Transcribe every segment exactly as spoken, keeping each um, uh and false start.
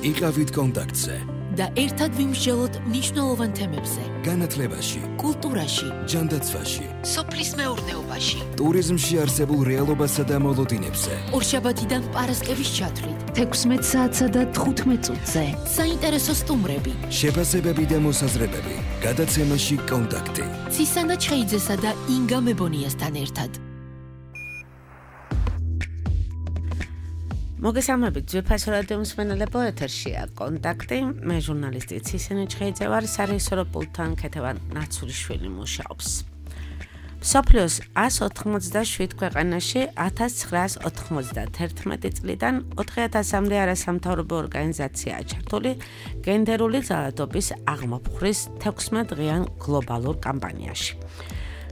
იყავით კონტაქტზე და ერთად ვიმსჯელოთ მნიშვნელოვან თემებზე. განათლებაში, კულტურაში, ჯანდაცვაში, სოფლის მეურნეობაში, ტურიზმში არსებულ რეალობასა და მოლოდინებზე. ორშაბათიდან პარასკევის ჩათვლით, თექვსმეტ საათსა და თხუთმეტ წუთზე. საინტერესო სტუმრები, შეფასებები და მოსაზრებები. გადაცემაში კონტაქტი. ცისანა ჩხეიძესა და ინგა მებონიასთან ერთად. მოგესალმებით, ძვირფასო რადიო მსმენელებო, ეთერშია კონტაქტი. მე ჟურნალისტი ცისანა ჩხეიძე ვარ, სარეჟისორო პულტთან ქეთევან ნაცულიშვილი მუშაობს. მსოფლიოს ას ოთხმოცდაშვიდ ქვეყანაში ათას ცხრაას ოთხმოცდათერთმეტი წლიდან ოთხი ათასამდე არასამთავრობო ორგანიზაციაა ჩართული გენდერული ძალადობის აღმოფხვრის თექვსმეტ დღიან გლობალურ კამპანიაში.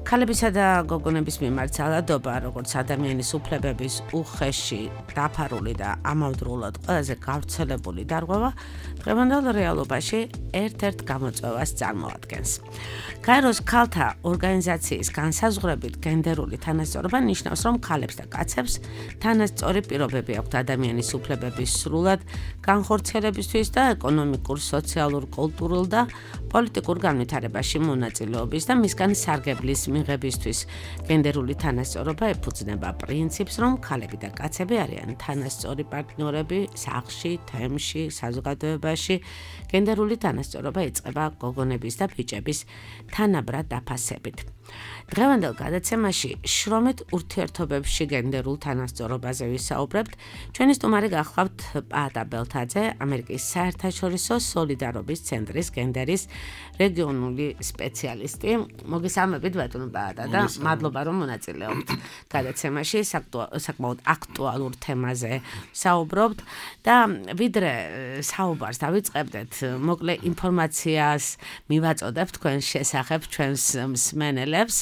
ქალებისა და გოგონების მიმართ ძალადობა, როგორც ადამიანის უფლებების უხეში დაფარული და ამავდროულად ყველაზე გავრცელებული დარღვევა, დღევანდელ რეალობაში ერთ-ერთ გამოწვევას წარმოადგენს. გაეროს ქალთა ორგანიზაციის განსაზღვრებით გენდერული თანასწორობა ნიშნავს, რომ ქალებს და კაცებს თანასწორი პირობები აქვთ ადამიანის უფლებების სრულად განხორციელებისთვის და ეკონომიკურ, სოციალურ, კულტურულ და პოლიტიკურ განვითარებაში მონაწილეობის და მისგან სარგებლის მიღებისთვის. გენდერული თანასწორობა ეფუძნება პრინციპს, რომ ქალები და კაცები არიან თანასწორი პარტნიორები სახლში, თემში, საზოგადოებაში. გენდერული თანასწორობა იწყება გოგონების და ბიჭების თანაბრად დაფასებით. დღევანდელ გადაცემაში შრომით ურთიერთობებში გენდერულ თანასწორობაზე ვისაუბრებთ. ჩვენი სტუმარი გახლავთ პაატა ბელთაძე, ამერიკის საერთაშორისო სოლიდარობის ცენტრის გენდერის რეგიონული სპეციალისტი. მოგესალმებით, ბატონო პაატა და მადლობა, რომ მონაწილეობთ გადაცემაში, საკმაოდ აქტუალურ თემაზე საუბრობთ და ვიდრე საუბარს დავიწყებდეთ, მოკლე ინფორმაციას მივაწოდებ თქვენ შესახებ ჩვენს მსმენელებს.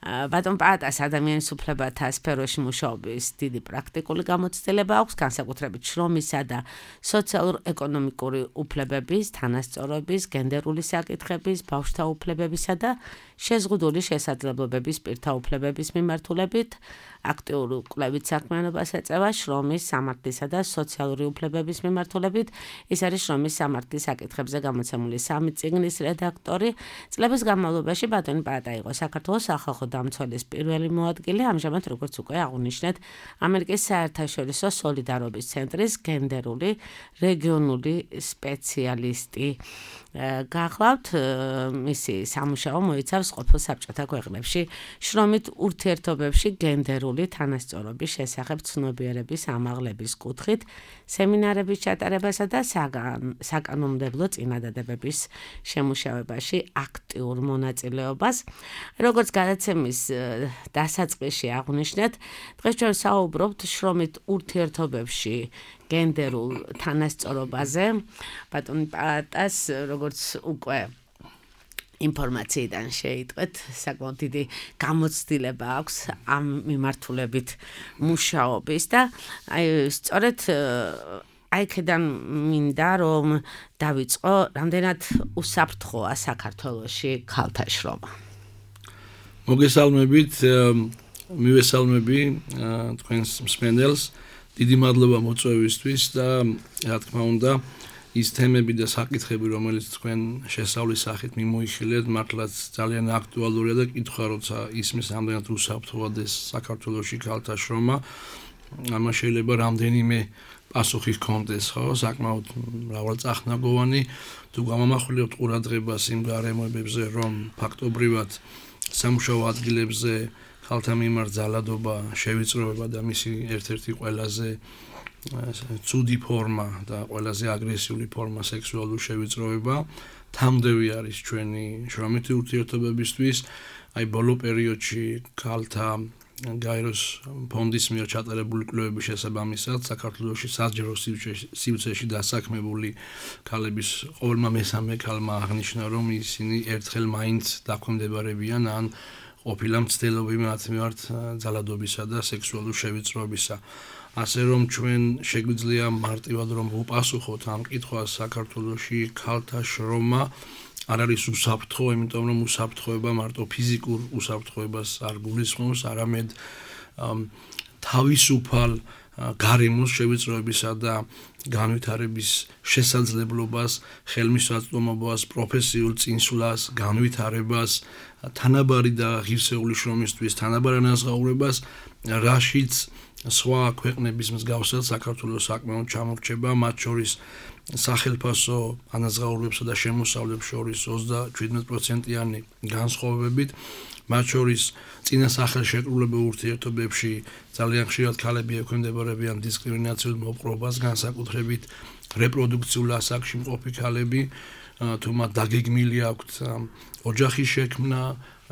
ბატონ პაატას ადამიანის უფლებათა სფეროში მუშაობის დიდი პრაქტიკული გამოცდილება აქვს, განსაკუთრებით შრომისა და სოციალურ-ეკონომიკური უფლებების, თანასწორობის, გენდერული საკითხების, ბავშვთა უფლებებისა და შეზღუდული შესაძლებლობების პირთა უფლებების მიმართულებით, აქტიური კვლევით საქმიანობას ეწევა შრომის, სამართლისა და სოციალური უფლებების მიმართულებით. ის არის შრომის სამართლის საკითხებზე გამოცემული სამი წიგნის რედაქტორი. წლების განმავლობაში ბატონი პაატა იყო საქართველოს სახალხო დამცველის პირველი მოადგილე, ამჟამად როგორც უკვე აღვნიშნეთ, ამერიკის საერთაშორისო სოლიდარობის ცენტრის გენდერული რეგიონული სპეციალისტი. გახლავთ, მისი სამუშაო მოიცავს ყოფილ საბჭოთა ქვეყნებში შრომით ურთიერთობებში გენდერული თანასწორობის შესახებ ცნობიერების ამაღლების კუთხით სემინარების ჩატარებასა და საკანონმდებლო წინადადებების შემუშავებაში აქტიურ მონაწილეობას. როგორც გადაცემის დასაწყისში აღვნიშნეთ, დღეს ჩვენ საუბრობთ შრომით ურთიერთობებში გენდერულ თანასწორობაზე. ბატონ პაატას, როგორც უკვე ინფორმაციიდან შეიტყვეთ, საკმაოდ დიდი გამოცდილება აქვს ამ მიმართულებით მუშაობის და აი სწორედ აი ქედან მინდა რომ დავიწყო, რამდენად უსაფრთხოა საქართველოში ქალთა შრომა. მოგესალმებით, მივესალმები თქვენს მსმენელს. დიდი მადლობა მოწვევისთვის და რა თქმა უნდა ის თემები და საკითხები, რომელიც თქვენ შესავლის სახით მიმოიხილეთ, მართლაც ძალიან აქტუალურია და კითხვა, როცა ისმის რამდენად უსაფრთხოა საქართველოში ქალთა შრომა, ამას შეიძლება რამდენიმე პასუხი ჰქონდეს, ხო, საკმაოდ მრავალწახნაგოვანი. თუ გამომახვილებთ ყურადღებას იმ გარემოებებზე, რომ ფაქტობრივად სამუშაო ადგილებზე ქალთა მიმართ ძალადობა შევიწროება და მისი ერთ-ერთი ყველაზე ცუდი ფორმა და ყველაზე აგრესიული ფორმა სექსუალური შევიწროება თამდევი არის ჩვენი შრომითი ურთიერთობებისთვის. აი ბოლო პერიოდში ქალთა გაეროს ფონდის მიერ ჩატარებული კვლევების შესაბამისად საქართველოში საჯარო სივრცეში დასაქმებული ქალების ყოველმა მესამე ქალმა აღნიშნა, რომ ისინი ერთხელ მაინც დაქვემდებარებიან ან ყოფილა მცდელობები მათ მიმართ ძალადობისა და სექსუალური შევიწროებისა. ასე რომ ჩვენ შეგვიძლია მარტივად რომ ვუპასუხოთ ამ კითხვას, საქართველოში ქალთა შრომა არ არის უსაფრთხო, იმიტომ რომ უსაფრთხოება მარტო ფიზიკურ უსაფრთხოებას არ გულისხმობს, არამედ თავისუფალ გარემოს შევიწროებისა და განვითარების შესაძლებლობას, ხელმისაწვდომობას, პროფესიულ წინსვლას, განვითარებას, თანაბარი და ღირსეული შრომისთვის თანაბარ ანაზღაურებას, რაშიც სხვა ქვეყნების მსგავსად საქართველოს საკმაოდ ჩამორჩება, მათ შორის სახელფასო ანაზღაურებებსა და შემოსავლებს შორის ოცდაშვიდმეტ პროცენტიანი განსხვავებით, მათ შორის წინა სახელშეკრულებულ ურთიერთობებში ძალიან ხშირად ქალები ექვემდებარებიან დისკრიმინაციულ მოპყრობას, განსაკუთრებით რეპროდუქციულ ასაკში მყოფი ქალები, თუ მათ დაგეგმილი აქვთ ოჯახის შექმნა,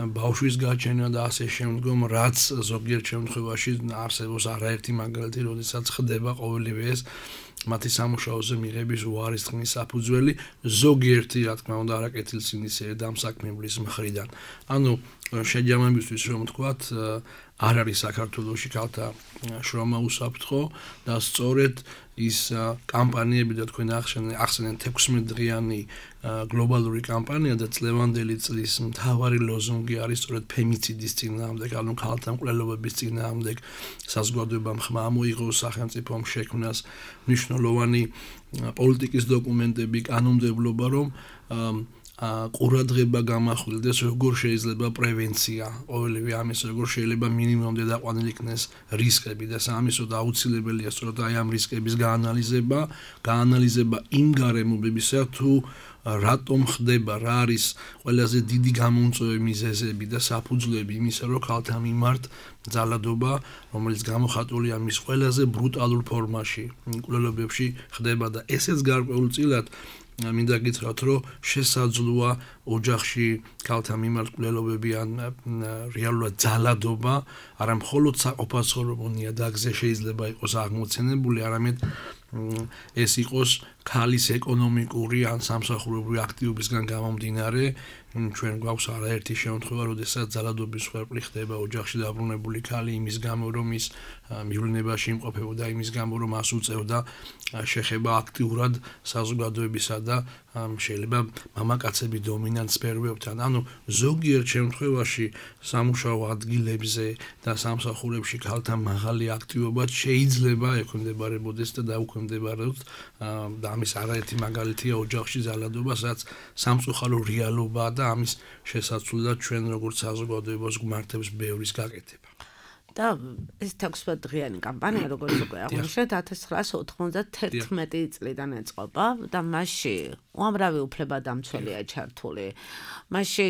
ბავშვის გაჩენა და ასე შემდგომ, რაც ზოგიერთ შემთხვევაში არსებობს არაერთი მაგალითი, როდესაც ხდება ყოველივე ეს მათი სამუშაოზე მიღების უარის თქმის საფუძველი, ზოგიერთი, რა თქმა უნდა, არაკეთილსინისერი დამსაქმებლის მხრიდან. ანუ შეჯამებისთვის რომ ვთქვათ, არ არის საქართველოში ქალთა შრომა უსაფრთხო და სწორედ ის კამპანიები და თქვენ ახსენეთ თექვსმეტ დღიანი გლობალური კამპანია და წლევანდელი წლის მთავარი ლოზუნგი არის სწორედ ფემიციდის წინააღმდეგ, ანუ ქალთა მკვლელობების წინააღმდეგ საზოგადოებამ ხმა მოიღოს სახელმწიფომ შექმნას მნიშვნელოვანი პოლიტიკის დოკუმენტები, კანონმდებლობა, რომ ყურადღება გამახვილდეს, როგორ შეიძლება პრევენცია, ყოველივე ამის, როგორ შეიძლება მინიმუმამდე დაყვანილ იქნეს რისკები და სამისოდ აუცილებელია სწორედ აი ამ რისკების გაანალიზება, გაანალიზება იმ გარემოებებისა, თუ რატომ ხდება, რა არის ყველაზე დიდი გამომწვევი მიზეზები და საფუძვლები იმისა, რომ ქალთა მიმართ ძალადობა, რომელიც გამოხატულია მის ყველაზე ბრუტალურ ფორმაში, მკვლელობებში ხდება და ესეც გარკვეულწილად მინდა გითხრათ, რომ შესაძლოა ოჯახში ქალთა მიმართ მკვლელობები ან რეალურად ძალადობა არა მხოლოდ საყოფაცხოვრებო ნიადაგზე შეიძლება იყოს აღმოცენებული, არამედ ეს იყოს ქალის ეკონომიკური ან სამსახურებრივი აქტივობისგან გამომდინარე, ჩვენ გვაქვს არაერთი შემთხვევა, როდესაც ძალადობის მსხვერპლი ხდება ოჯახში დაბრუნებული ქალი იმის გამო, რომ ის მივლინებაში იმყოფებოდა, იმის გამო, რომ მას უწევდა შეხება აქტიურად საზოგადოებისა და შეიძლება მამაკაცები დომინანტ სფეროებთან. ანუ ზოგიერთ შემთხვევაში სამუშაო ადგილებზე და სამსახურებში ქალთა მაღალი აქტივობა შეიძლება ექვემდებარებოდეს და დაუქვემდებარებოდეს და ამის არაერთი მაგალითია ოჯახში ძალადობა, სადაც სამწუხარო რეალობაა და ამის შესაცვლელად ჩვენ როგორც საზოგადოებას გვმართებს ბევრის გაკეთება. და ეს თექვსმეტ დღიანი კამპანია, როგორც უკვე აღნიშნეთ, ათას ცხრაას ოთხმოცდათერთმეტი წლიდან ეწყობა და მასში უამრავი უფლებადამცველია ჩართული. მასში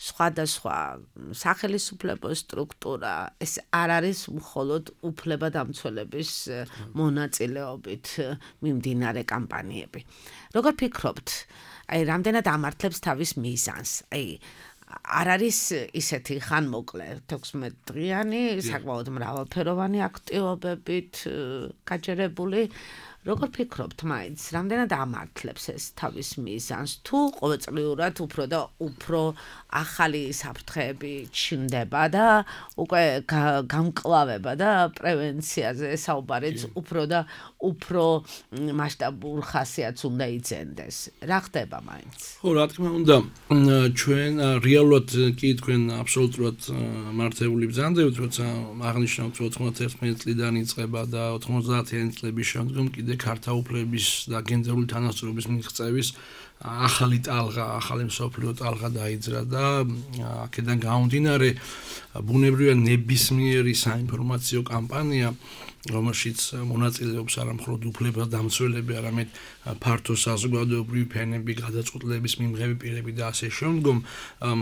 სხვადასხვა სახელისუფლებო სტრუქტურა, ეს არ არის მხოლოდ უფლებადამცველების მონაწილეობით მიმდინარე კამპანიები. როგორ ფიქრობთ, აი რამდენად ამართლებს თავის მიზანს? აი არ არის ისეთი ხანმოკლე თექვსმეტ დღიანი, საკმაოდ მრავალფეროვანი აქტივობებით გაჯერებული. როგორ ფიქრობთ მაინც, რამდენად ამართლებს ეს თავის მიზანს, თუ ყოველწლიურად უფრო და უფრო ახალი საფრთხეები ჩნდება და უკვე გამკლავება და პრევენციაზე საუბარიც უფრო და უფრო მასშტაბურ ხასიათს უნდა იძენდეს. რა ხდება მაინც? ხო, რა თქმა უნდა, ჩვენ რეალურად კი თქვენ აბსოლუტურად მართებული ბრძანდებით, როცა აღნიშნავთ ოთხმოცდათერთმეტი წლიდან იწყება და ოთხმოცდაათიანი წლების შემდგომ კიდე ქალთა უფლებების და გენდერული თანასწორობის მიღწევის ახალი ტალღა, ახალი მსოფლიო ტალღა დაიძრა და აქედან გამომდინარე ბუნებრივია ნებისმიერი საინფორმაციო კამპანია, რომელშიც მონაწილეობს არა მხოლოდ უფლებადამცველები, არამედ ფართო საზოგადოებრივი ფენები, გადაწყვეტილების მიმღები პირები და ასე შემდგომ,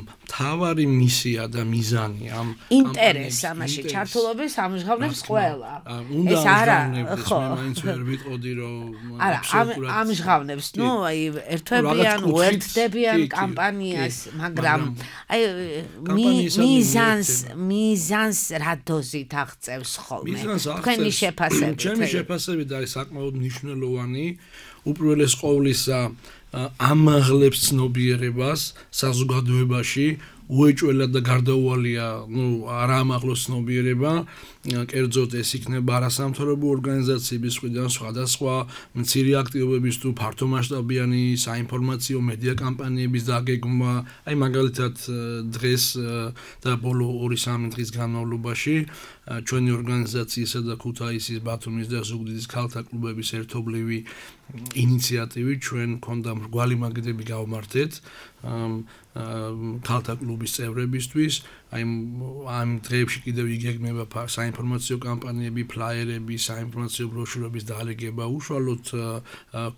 მთავარი მისია და მიზანი ამ ინტერესს ამაში ჩართულობის ამჟღავნებს ყველა. ეს არა, ხო, მე მაინც ვერ ვიტყოდი, რომ არა, ამჟღავნებს, ნუ აი ერთვებიან, უერთდებიან კამპანიას, მაგრამ აი მიზანს, მიზანს რა დოზით აღწევს ხოლმე? თქვენი შეფასებით. ჩემი შეფასებით არის საკმაოდ მნიშვნელოვანი, უპირველეს ყოვლისა ამაღლებს ცნობიერებას საზოგადოებაში, უეჭველად და გარდაუვალია, ნუ არა ამაღლოს ცნობიერება კერძოდ ეს იქნება არასამთავრობო ორგანიზაციების მხრიდან სხვადასხვა მცირე აქტივობების თუ ფართომასშტაბიანი საინფორმაციო მედია კამპანიების დაგეგმვა, აი მაგალითად დღეს და ბოლო ორი სამი დღის განმავლობაში ჩვენი ორგანიზაციისა და ქუთაისის, ბათუმის და ზუგდიდის ქალთა კლუბების ერთობლივი ინიციატივით ჩვენ მქონდა მრგვალი მაგიდები გავმართეთ ქალთა კლუბის წევრებისთვის, აი ამ დღეებში კიდევ იგეგმება საინფორმაციო კამპანიები, ფლაიერები, საინფორმაციო ბროშურების დალეგება უშუალოდ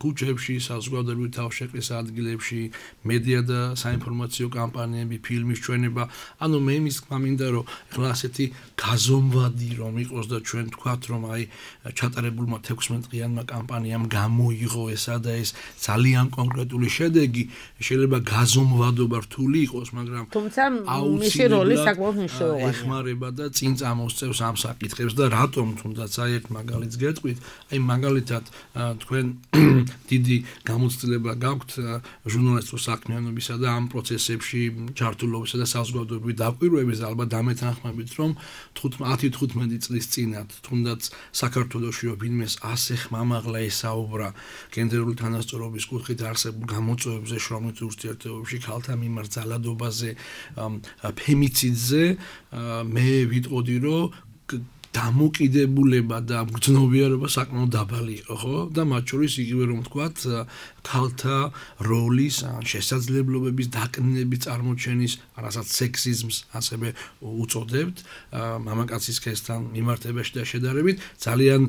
ქუჩებში, საზოგადოებრივი თავშეყრის ადგილებში, მედია და საინფორმაციო კამპანიები, ფილმის ჩვენება. ანუ მე იმის თქმა მინდა, რომ ახლა ასეთი გაზომვადი რომ იყოს და ჩვენ თქვათ, რომ აი ჩატარებულმა თექვსმეტ დღიანმა კამპანიამ გამოიღო ესა და ეს ძალიან კონკრეტული შედეგი, შეიძლება გაზომვადობა რთული იყოს, მაგრამ თუმცა მისი როლი საკმაოდ მნიშვნელოვანია. ეხმარება და წინ წამოსწევს ამ საკითხებს და რატომ თუნდაც აი ერთ მაგალითს გეტყვით, აი მაგალითად თქვენ დიდი გამოცდილება გაქვთ ჟურნალისტურ საქმიანობისა და ამ პროცესებში ჩართულობისა და საზოგადოებრივი დაკვირვების ალბათ დამეთანხმებით, რომ ათი თხუთმეტი წლის წინათ თუნდაც საქართველოში ვინმეს ასე ხმამაღლა ესაუბრა გენდერული თანასწორობის კუთხით არსებულ გამოწვევებზე, შრომით ურთიერთობებში, ქალთა მიმართ ძალადობაზე, ფემიციდზე, მე ვიტყოდი, რომ დამოკიდებულება და მგრძნობიარება საკმაოდ დაბალი იყო, ხო? და მათ შორის იგივე რომ ვთქვათ, ქალთა როლის, შესაძლებლობების დაკნინების წარმოჩენის, რასაც სექსიზმს ასევე უწოდებთ, მამაკაცის სქესთან მიმართებაში და შედარებით, ძალიან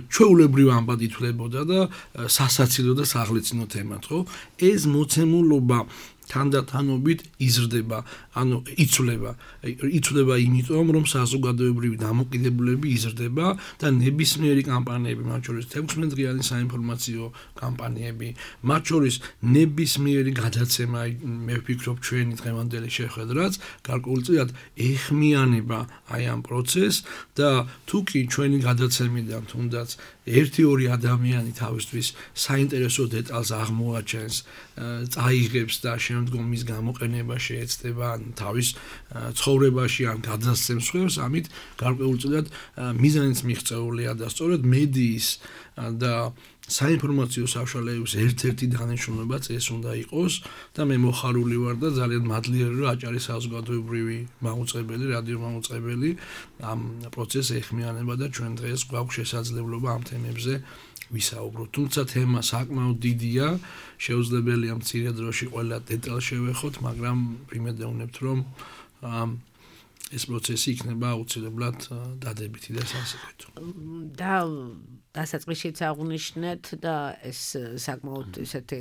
ჩვეულებრივ ამბად ითვლებოდა და სასაცილო და საღლიცინო თემად, ხო? ეს მოცემულობა თანდათანობით იზრდება, ანუ იცვლება, იცვლება იმიტომ, რომ საზოგადოებრივი დამოკიდებულება იზრდება და ნებისმიერი კამპანიები, მათ შორის თექვსმეტ დღიანი საინფორმაციო კამპანიები, მათ შორის ნებისმიერი გადაცემა, მე ვფიქრობ ჩვენი დღევანდელი შეხვედრაც გარკვეულწილად ეხმიანება აი ამ პროცესს და თუ კი ჩვენი გადაცემიდან თუნდაც ერთი ორი ადამიანი თავისთვის საინტერესო დეტალს აღმოაჩენს, წაიღებს და შემდგომ მის გამოყენება შეეცდება თავის ცხოვრებაში ან გადასცემს ხერს, ამით გარკვეულწილად მიზანიც მიღწეულია და სწორედ მედიის და საინფორმაციო საშუალებების ერთ-ერთი დანიშნულებაც ეს უნდა იყოს და მე მოხარული ვარ და ძალიან მადლიერია, რომ აჭარი საზოგადოებრივი მაუწყებელი, რადიო მაუწყებელი ამ პროცესს ეხმიანება და ჩვენ დღეს გვაქვს შესაძლებლობა ამ თემებზე ვისაუბროთ. თუმცა თემა საკმაოდ დიდია, შეუძლებელია მცირე დროში ყველა დეტალს შევეხოთ, მაგრამ ვიმედოვნებთ, რომ ეს პროცესი იქნება აუცილებლად დადებითი და სასიკვდილო. და დასაწყისშიც აღვნიშნეთ და ეს საკმაოდ ისეთი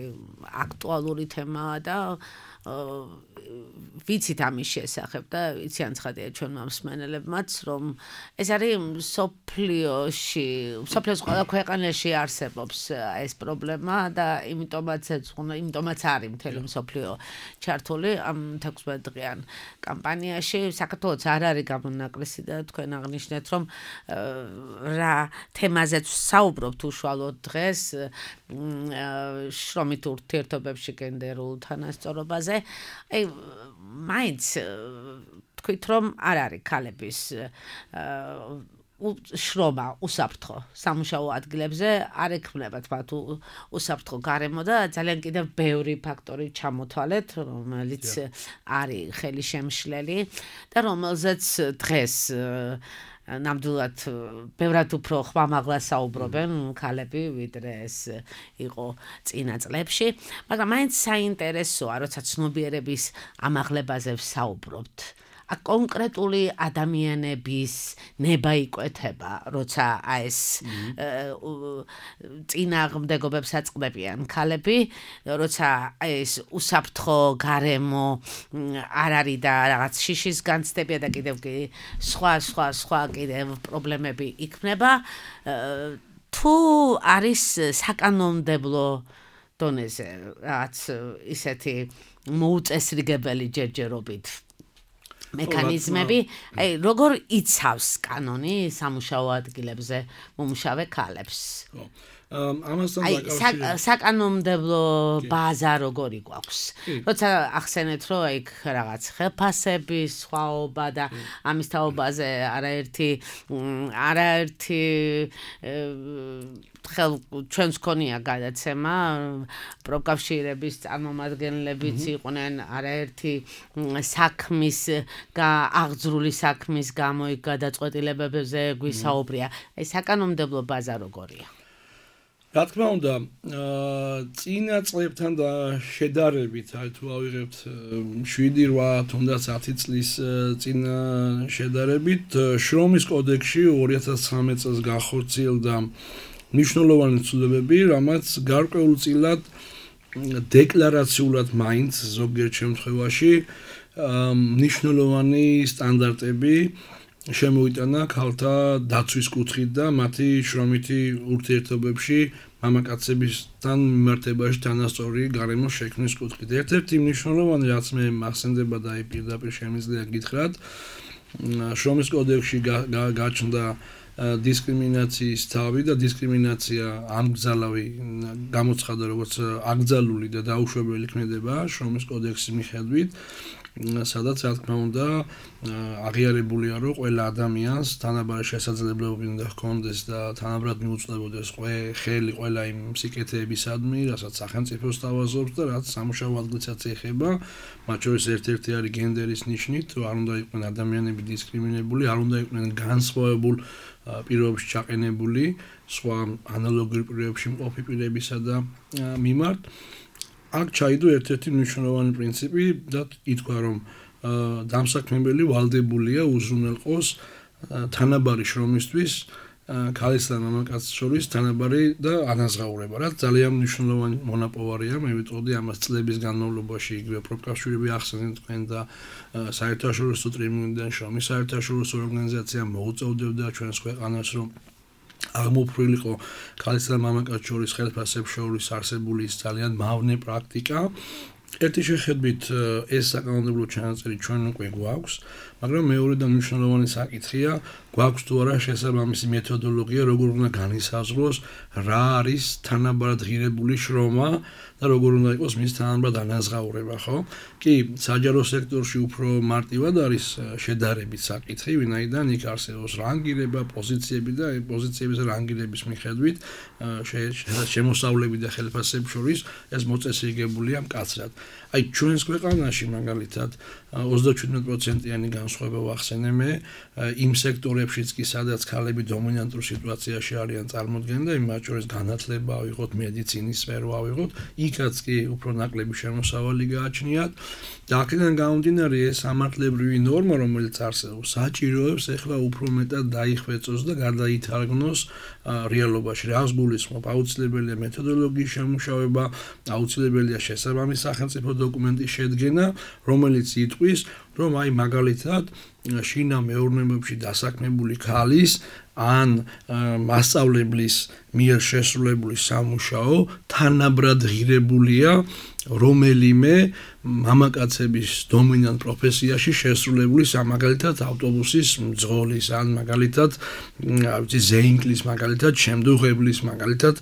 აქტუალური თემაა და ვიცით ამის შესახებ და იციან ცხადია ჩვენმა მსმენელებმაც, რომ ეს არის სოფლიოში, სოფლიოს ყველა ქვეყანაში არსებობს ეს პრობლემა და იმიტომაც იმიტომაც არის მთელი მსოფლიო ჩართული ამ თექვსმეტ დღიან კამპანიაში. საქართველოს არ არის გამონაკლისი და თქვენ აღნიშნეთ, რომ რა თემაზეც საუბრობთ უშუალოდ დღეს შრომით ურთიერთობებში გენდერულ თანასწორობაზე. აი მაინც თქვით, რომ არ არის ქალების შრომა უსაფრთხო სამუშაო ადგილებზე, არ ექმნებათ მათ უსაფრთხო გარემო და ძალიან კიდევ ბევრი ფაქტორი ჩამოთვალეთ, რომელიც არის ხელისშემშლელი და რომელზეც დღეს ნამდვილად ბევრად უფრო ხმამაღლა საუბრობენ ქალები, ვიდრე ეს იყო წინა წლებში, მაგრამ მაინც საინტერესოა, როცა ცნობიერების ამაღლებაზე ვსაუბრობთ. კონკრეტული ადამიანების ნება იკვეთება, როცა ეს წინააღმდეგობებს აწყდებიან ქალები, როცა ეს უსაფრთხო გარემო არ არის და რაღაც შიშის განცდებია და კიდევ სხვა სხვა სხვა კიდევ პრობლემები იქნება, თუ არის საკანონმდებლო დონეზე რაღაც ისეთი მოუწესრიგებელი ჯერჯერობით მექანიზმები, აი როგორ იცავს კანონი სამუშაო ადგილებზე მომუშავე ქალებს? ხო. ამასთან დაკავშირებით საკანონმდებლო ბაზა როგორი გვაქვს? როცა ახსენეთ, რომ აი რაღაც ხელფასების სხვაობა და ამის თაობაზე არაერთი არაერთი ხელ ჩვენს ქონია გადაცემა პროფკავშირების წარმომადგენლებიც იყვნენ არაერთი საქმის აღძრული საქმის გამო იქ გადაწყვეტილებებზე გვისაუბრია. აი საკანონმდებლო ბაზა როგორია? რა თქმა უნდა, წინა წლებთან და შედარებით, აი თუ ავიღებთ შვიდი რვა თუნდაც ათი წლის წინა შედარებით, შრომის კოდექსში ორი ათას ცხრამეტ წელს განხორციელდა მნიშვნელოვანი ცვლილებები, რამაც გარკვეულწილად დეკლარაციულად მაინც ზოგიერთ შემთხვევაში მნიშვნელოვანი სტანდარტები შემოიტანა ქალთა დაცვის კუთხით და მათი შრომითი ურთიერთობებში მამაკაცებისთან მიმართებაში თანასწორი გარემოს შექმნის კუთხით. ერთ-ერთი მნიშვნელოვანი რაც მე მახსენდება და აი პირდაპირ შემიძლია გითხრათ, შრომის კოდექსში გაჩნდა დისკრიმინაციის თავი და დისკრიმინაცია ამგზალავი გამოცხადა როგორც აკრძალული და დაუშვებელი ქმედება შრომის კოდექსის მიხედვით, სადაც რა თქმა უნდა აღიარებულია, რომ ყველა ადამიანს თანაბარი შესაძლებლობები უნდა ჰქონდეს და თანაბრად მიუწვდებოდეს ხელი ყველა იმ სიკეთეებისადმი, რასაც სახელმწიფო სთავაზობს და რაც სამუშაო ადგილსაც ეხება, მათ შორის ერთ-ერთი არის გენდერის ნიშნით, რომ არ უნდა იყვნენ ადამიანები დისკრიმინებული, არ უნდა იყვნენ განსხვავებულ პირობებში ჩაყენებული სხვა ანალოგიურ პირობებში მყოფი პირებისა და მიმართ. აქ ჩაიდო ერთ-ერთი მნიშვნელოვანი პრინციპი და ითქვა, რომ დამსაქმებელი ვალდებულია უზრუნველყოს თანაბარი შრომისთვის ქალისა და მამაკაცის შორის თანაბარი და ანაზღაურება, რაც ძალიან მნიშვნელოვანი მონაპოვარია. მე ვიტყოდი ამას წლების განმავლობაში, იგივე პროფკავშირები ახსენეთ თქვენ და საერთაშორისო ტრიბუნიდან შრომის საერთაშორისო ორგანიზაცია მოუწევდებდა ჩვენს ქვეყანას, რომ აღმოფხვრილიყო ქალისა და მამაკაცის შორის ხელფასებს შორის არსებული ის ძალიან მავნე პრაქტიკა. ერთი შეხედვით ეს საკანონმდებლო ჩანაწერი ჩვენ უკვე გვაქვს, მაგრამ მეორე და მნიშვნელოვანი საკითხია, გვაქვს თუ არა შესაბამისი მეთოდოლოგია, როგორ უნდა განისაზღვროს რა არის თანაბარად ღირებული შრომა და როგორ უნდა იყოს მის თანაბარად ანაზღაურება, ხო? კი, საჯარო სექტორში უფრო მარტივად არის შედარებით საკითხი, ვინაიდან იქ არსებობს რანგირება, პოზიციები და პოზიციების რანგირების მიხედვით შემოსავლები და ხელფასებს შორის ეს მოწესრიგებულია მკაცრად. აი ჩვენს ქვეყანაში მაგალითად ოცდაჩვიდმეტ პროცენტიანი განსხვავება ვახსენე მე იმ სექტორებშიც კი სადაც ქალები დომინანტურ სიტუაციაში არიან წარმოდგენილი და მათ შორის განათლება ავიღოთ, მედიცინის სფერო ავიღოთ, იქაც კი უფრო ნაკლები შემოსავალი გააჩნიათ და აქედან გამომდინარე ეს სამართლებრივი ნორმა, რომელიც არსებობს, საჭიროებს ახლა უფრო მეტად დაიხვეწოს და გადაითარგმნოს რეალობაში. რას გულისხმობ? აუცილებელია მეთოდოლოგიის შემუშავება, აუცილებელია შესაბამის სახელმწიფო დოკუმენტის შედგენა, რომელიც იტყვის, რომ აი მაგალითად შინა მეურნეობებში დასაქმებული ქალის ან მასწავლებლის მიერ შესრულებული სამუშაო თანაბრად ღირებულია რომელიმე მამაკაცების დომინანტ პროფესიაში შესრულებული მაგალითად ავტობუსის მძღოლის ან მაგალითად ზეინკლის მაგალითად შემდუღებლის მაგალითად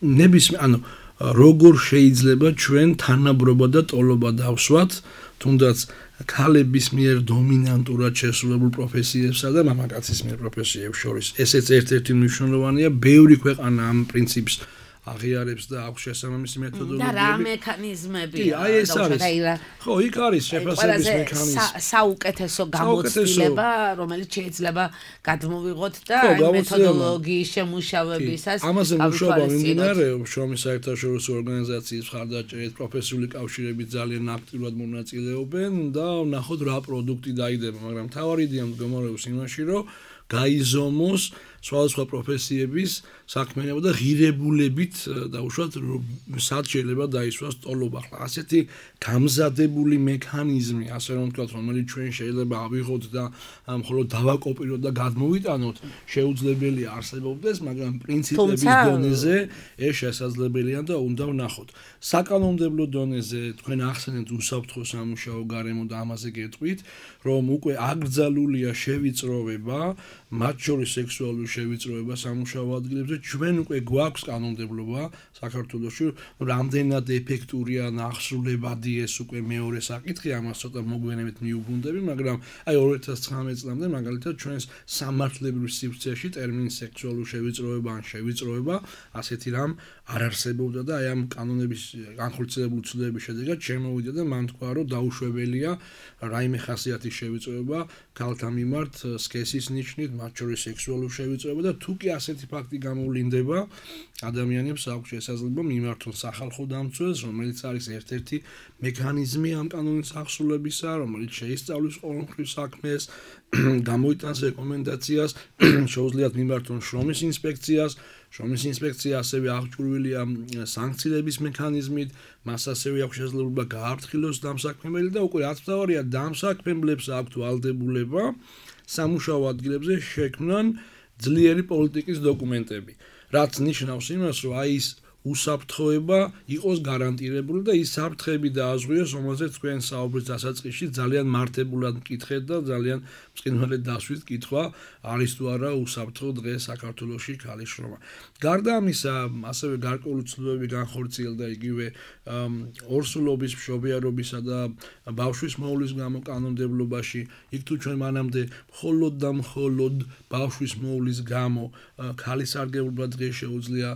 ნებისმიერ ანუ როგორ შეიძლება ჩვენ თანაბრობა და ტოლობა დავსვათ თუნდაც ქალების მიერ დომინანტურად შესრულებულ პროფესიებსა და მამაკაცის მიერ პროფესიებს შორის. ესეც ერთ-ერთი მნიშვნელოვანია, ბევრი ქვეყანა ამ პრინციპს აღიარებს და აქვს შესაბამისი მეთოდოლოგიები. და რა მექანიზმები? კი, აი ეს არის. ხო, იქ არის შეფასების მექანიზმი. საუკეთესო გამოცდილება, რომელიც შეიძლება გადმოვიღოთ და მეთოდოლოგიის შემუშავებისას. ამაზე მუშაობა მიმდინარეობს შრომის საერთაშორისო ორგანიზაციის მხარდაჭერით, პროფესიული კავშირები ძალიან აქტიურად მონაწილეობენ და ვნახოთ რა პროდუქტი დაიდება, მაგრამ მთავარი იდეა მდგომარეობს იმაში, რომ გაიზომოს სხვადასხვა პროფესიების საქმიანობა და ღირებულებით დაუშვათ სად შეიძლება დაისვას ტოლობა. ახლა ასეთი გამზადებული მექანიზმი, ასე რომ ვთქვათ, რომელიც ჩვენ შეიძლება ავიღოთ და მხოლოდ დავაკოპიროთ და გადმოვიტანოთ, შეუძლებელია არსებობდეს, მაგრამ პრინციპების დონეზე ეს შესაძლებელია და უნდა ვნახოთ. საკანონმდებლო დონეზე თქვენ ახსენეთ უსაფრთხო სამუშაო გარემო და ამაზე გეტყვით, რომ უკვე აკრძალულია შევიწროვება, მათ შორის სექსუალური შევიწროვება სამუშაო ადგილებზე. ჩვენ უკვე გვაქვს კანონმდებლობა საქართველოში, რამდენად ეფექტურია ნახსრულებადი ეს უკვე მეორე საკითხი, ამას ცოტა მოგვიანებით მიუბრუნდები, მაგრამ აი ორი ათას ცხრამეტ წლამდე მაგალითად ჩვენს სამართლებრივ სივრცეში ტერმინი სექსუალური შევიწროვება ან შევიწროვება ასეთი რამ არ არსებობდა და აი ამ კანონების განხორციელებული ცვლილების შედეგად შემოვიდა და მან თქვა, რომ დაუშვებელია რაიმე ხასიათის შევიწროვება ქალთა მიმართ სქესის ნიშნით, მათ შორის სექსუალური შევიწროვება და თუ კი ასეთი ფაქტი გამოვლინდება, ადამიანებს აქვს შესაძლებლობა მიმართონ სახალხო დამცველს, რომელიც არის ერთ-ერთი მექანიზმი ამ კანონის აღსრულებისა, რომელიც შეისწავლის ყოველმხრივ საქმეს, გამოიტანს რეკომენდაციას, შეუძლიათ მიმართონ შრომის ინსპექციას. შრომის ინსპექცია ასევე აღჭურვილია სანქციების მექანიზმით, მას ასევე აქვს შესაძლებლობა გააფრთხილოს დამსაქმებელი და უკვე რაც მთავარია, დამსაქმებლებს აქვთ ვალდებულება სამუშაო ადგილებზე შექმნან ძლიერი პოლიტიკის დოკუმენტები, რაც ნიშნავს იმას, რომ აი ის უსაფრთხოება იყოს გარანტირებული და ის საფრთხეები დააზღვიოს, რომელზეც თქვენ საუბრის დასაწყისში ძალიან მართებულად მკითხეთ და ძალიან მწყინვალედ დასვით კითხვა არის თუ არა უსაფრთხო დღეს საქართველოში ქალის შრომა. გარდა ამისა, ასევე გარკვეული ცვლილებები განხორციელდა იგივე ორსულობის, მშობიარობისა და ბავშვის მოვლის გამო კანონმდებლობაში. იქ თუ ჩვენ მანამდე მხოლოდ და მხოლოდ ბავშვის მოვლის გამო ქალის სარგებლობა დღეს შეუძლია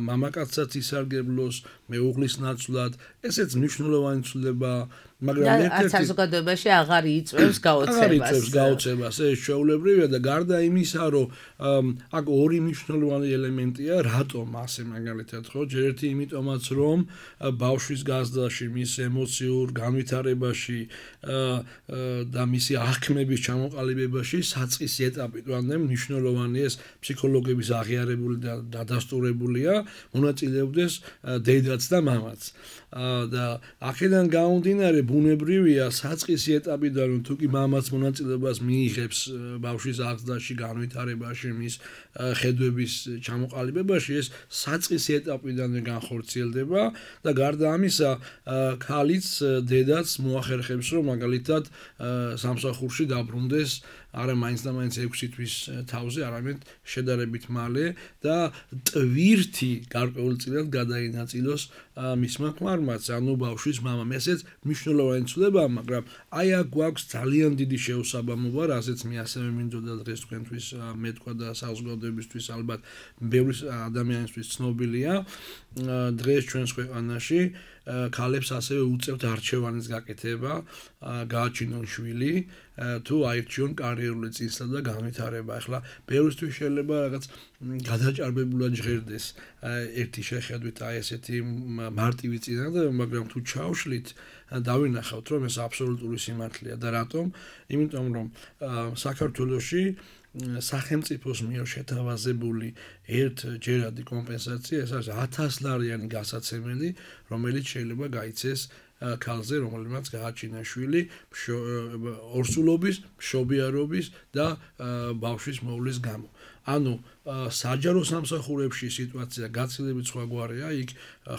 მამაკაცსაც ისარგებლოს მეუღლის ნაცვლად, ესეც მნიშვნელოვანი ცვლილებაა, მაგრამ ერთ-ერთი საზოგადოებაში აღარ იწევს გაოცებას. აღარ იწევს გაოცებას, ეს შეუულებრივია და გარდა იმისა, რომ აქ ორი მნიშვნელოვანი ელემენტია, რატომ ასე მაგალითად ხო, ჯერ ერთი იმიტომაც, რომ ბავშვის გაზრდაში, მის ემოციურ განვითარებაში და მისი აღქმების ჩამოყალიბებაში საწყისი ეტაპი თვანე მნიშვნელოვანი ეს ფსიქოლოგების აღიარებული და დადასტურებულია, მონაწილეობდეს დედაც და მამაც. და აქედან გამომდინარე ბუნებრივია საწყისი ეტაპიდან რომ თუკი მამაც მონაწილეობას მიიღებს ბავშვის აღზრდაში, განვითარებაში, მის ხედვების ჩამოყალიბებაში, ეს საწყისი ეტაპიდან განხორციელდება და გარდა ამისა ქალიც დედაც მოახერხებს რომ მაგალითად სამსახურში დაბრუნდეს არა მაინც და მაინც ექვსი თვის თავზე, არამედ შედარებით მალე და ტვირთი გარკვეულწილად გადაინაწილოს მისმა ქმარმაც, ანუ ბავშვის მამამ. ესეც მნიშვნელოვანი ცვლილებაა, მაგრამ აი აქ გვაქვს ძალიან დიდი შეუსაბამობა, რასაც მე ასევე მინდოდა დღეს თქვენთვის მეთქვა და საზოგადოებისთვის ალბათ ბევრი ადამიანისთვის ცნობილია. დღეს ჩვენს ქვეყანაში ქალებს ასევე უწევთ არჩევანის გაკეთება, გააჩინონ შვილი, თუ აირჩიონ კარიერული წინსვლა და განვითარება. ახლა ბევრისთვის შეიძლება რაღაც გადაჭარბებულად ჟღერდეს ერთი შეხედვით აი ესეთი მარტივი წინადადება, მაგრამ თუ ჩავშლით დავინახავთ, რომ ეს აბსოლუტური სიმართლეა და რატომ? იმიტომ რომ საქართველოში სახელმწიფოს მიერ შეთავაზებული ერთჯერადი კომპენსაცია, ეს არის ათასლარიანი გასაცემელი, რომელიც შეიძლება გაიცეს ქალზე, რომელმაც გააჩინა შვილი ორსულობის, მშობიარობის და ბავშვის მოვლის გამო. ანუ საჯარო სამსახურებში სიტუაცია გაცილებით სხვაგვარია, იქ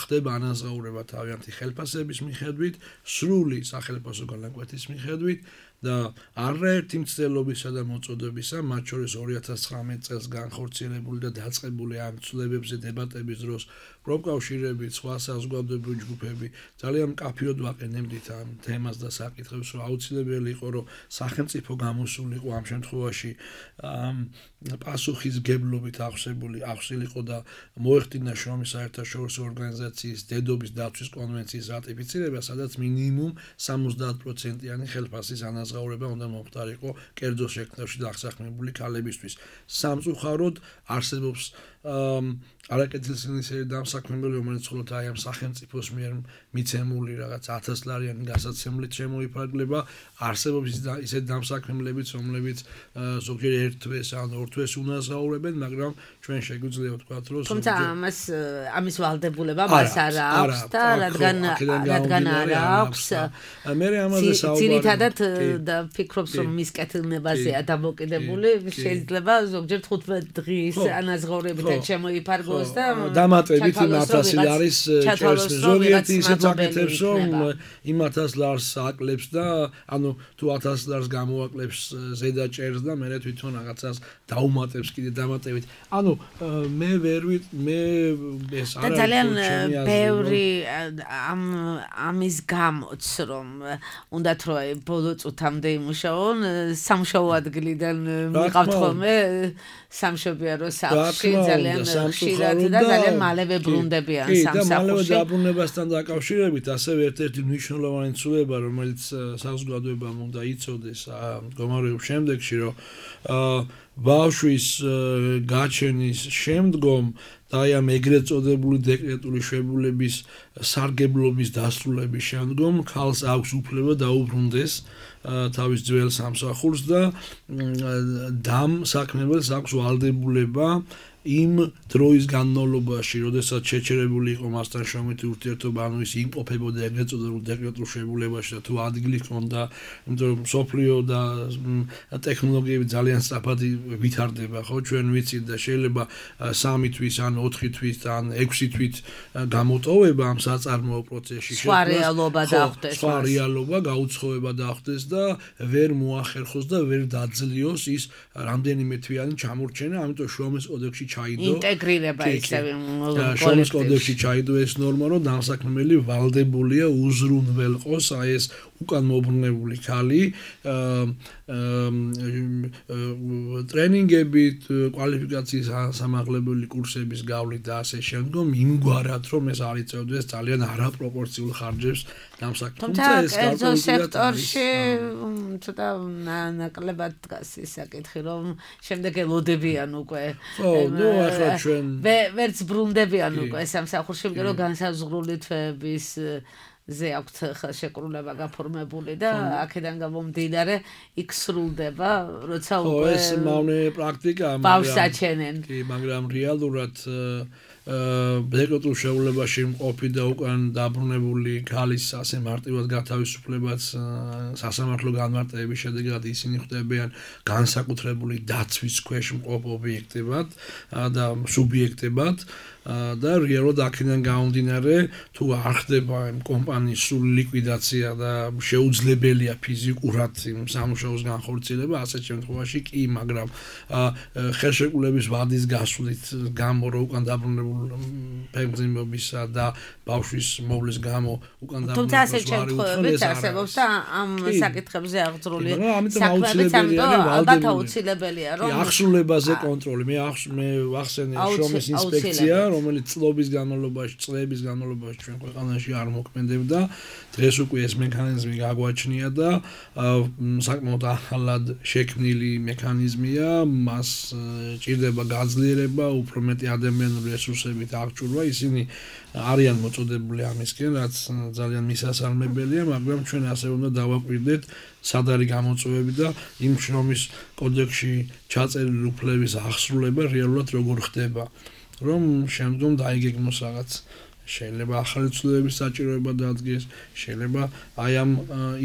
ხდება ანაზღაურება თავიანთი ხელფასების მიხედვით, სრული სახელმწიფო განაკვეთის მიხედვით და არაერთი მცდელობისა და მოწოდებისა, მათ შორის ორი ათას ცხრამეტ წელს განხორციელებული და დაწყებული ამ ცვლილებებზე დებატების დროს პროფკავშირები, სხვა საზოგადოებრივი ჯგუფები ძალიან მკაფიოდ ვაყენებდით ამ თემას და საკითხებს, რომ აუცილებელი იყო, რომ სახელმწიფო გამოსულიყო ამ შემთხვევაში პასუხისმგებლობით აღსებული აღსილიყო და მოეხდინა შრომის საერთაშორისო ორგანიზაციის დედობის დაცვის კონვენციის რატიფიცირება, სადაც მინიმუმ სამოცდაათ პროცენტიანი ხელფასის ანაზღაურება უნდა მომხდარიყო კერძო შექმნაში დასაქმებული ქალებისთვის. სამწუხაროდ არსებობს არაკეთილსინისერი დამსაქმებელი, რომელიც მხოლოდ აი ამ სახელმწიფოს მიერ მიცემული რაღაც ათას ლარიანი გასაცემლით შემოიფარგლება, არსებობს ისეთ დამსაქმებლებიც, რომლებიც ზოგჯერ ერთ თვეს ან ორ თვეს უნაზაურებენ, მაგრამ ჩვენ შეგვიძლია ვთქვათ, რომ თუმცა ამას ამის ვალდებულება მას არ აქვს და რადგან რადგან არ აქვს მე ამაზე საუბარი ძირითადად და ფიქრობს რომ მის კეთილნებაზეა დამოკიდებული, შეიძლება ზოგჯერ თხუთმეტ დღის ანაზღაურებითაც შემოიფარგლოს და დამატებით იმ ათას ლარის ჭერს ზოგიერთი ისეთ აკეთებს რომ იმ ათას ლარს აკლებს და ანუ თუ ათას ლარს გამოაკლებს ზედა ჭერს და მე თვითონ რაღაცას დაუმატებს კიდე დამატებით. ანუ მე ვერ ვით მე ეს არა ძალიან ბევრი ამ ამის გამოც რომ უნდათ რომ ბოლო წუთამდე იმუშაონ სამშობლო ადგილიდან მიყავთ ხოლმე სამშობიარო სახლში ძალიან ხშირად და ძალიან მალევე ბრუნდებიან სამსახურში. და მალევე დაბრუნებასთან დაკავშირებით ასევე ერთ-ერთი მნიშვნელოვანი ცვლილება რომელიც საზოგადოებამ უნდა იცოდეს მდგომარეობის შემდეგში რომ ბავშვის გაჩენის შემდგომ და აი ამ ეგრეთ წოდებული დეკრეტული შვებულების სარგებლობის დასრულების შემდგომ ქალს აქვს უფლება დაუბრუნდეს თავის ძველ სამსახურს და დამსაქმებელს აქვს ვალდებულება იმ დროის განმავლობაში, როდესაც შეჩერებული იყო მასთან შრომითი ურთიერთობა, ანუ ის იმყოფებოდა ეგრეთ წოდებულ დეკრეტულ შვებულებაში და თუ ადგილი ჰქონდა, იმიტომ რომ სოფლიო და ტექნოლოგიები ძალიან სწრაფად ვითარდება, ხო, ჩვენ ვიცით და შეიძლება სამი თვის ან ოთხი თვის ან ექვსი თვით გამოტოვება ამ საწარმოო პროცესში სხვა რეალობა დახვდეს. სხვა რეალობა გაუცხოება დახვდეს და ვერ მოახერხოს და ვერ დაძლიოს ის რამდენიმე თვიანი ჩამორჩენა, ამიტომ შრომის კოდექსში ჩაიდო ინტეგრირება ისევე შრომის კოდექსში ჩაიდო ეს ნორმა, რომ დამსაქმებელი ვალდებულია უზრუნველყოს აი ეს უკან მობრუნებული ქალი ტრენინგებით, კვალიფიკაციის სამაღლებელი კურსების გავლით და ასე შემდგომ იმგვარად რომ ეს არ იწევდეს ძალიან არაპროპორციულ ხარჯებს დამსაქმებელს. თუმცა კერძო სექტორში ცოტა ნაკლებად დგას ის საკითხი რომ შემდეგ ელოდებიან უკვე ნუ ახლა ჩვენ ვერც ბრუნდებიან უკვე სამსახურში, იმიტომ რომ განსაზღვრული თვეების ზე აქვთ ხელშეკრულება გაფორმებული და აქედან გამომდინარე იქ სრულდება, როცა უკვე ეს მავნე პრაქტიკაა, ბავშვს აჩენენ. კი, მაგრამ რეალურად დეკრეტულ შეულებაში მყოფი და უკან დაბრუნებული ქალის ასე მარტივად გათავისუფლებაც სასამართლო განმარტების შედეგად ისინი ხდებიან განსაკუთრებული დაცვის ქვეშ მყოფ ობიექტებად და სუბიექტებად და რეალურად აქედან გამომდინარე თუ არ ხდება იმ კომპანიის სრული ლიკვიდაცია და შეუძლებელია ფიზიკურად იმ სამუშაოს განხორციელება, ასეთ შემთხვევაში კი, მაგრამ ხელშეკრულების ვადის გასვლით გამო რო უკან დაბრუნებულ ფეგმზიმობისა და ბავშვის მოვლის გამო უკან დაბრუნებულს თუმცა ასეთ შემთხვევებიც არსებობს და ამ საკითხებზე აღძრული საქმეებიც ამიტომ ალბათ აუცილებელია რომ ახსულებაზე კონტროლი მე მე ვახსენე შრომის ინსპექცია რომელიც წლების განმავლობაში, წლების განმავლობაში ჩვენ ქვეყანაში არ მოქმედებდა. დღეს უკვე ეს მექანიზმი გაგვაჩნია და საკმაოდ ახალად შექმნილი მექანიზმია, მას ჭირდება გაძლიერება, უფრო მეტი ადამიანური რესურსებით აღჭურვა, ისინი არიან მოწოდებული ამისკენ, რაც ძალიან მისასალმებელია, მაგრამ ჩვენ ასე უნდა დავაკვირდეთ სად არის გამოწვევები და იმ შრომის კოდექსში ჩაწერილი უფლების აღსრულება რეალურად როგორ ხდება. რომ შემდგომ დაიგეგმოს რაღაც შეიძლება ახალი ცვლილებების საჭიროება დადგეს, შეიძლება აი ამ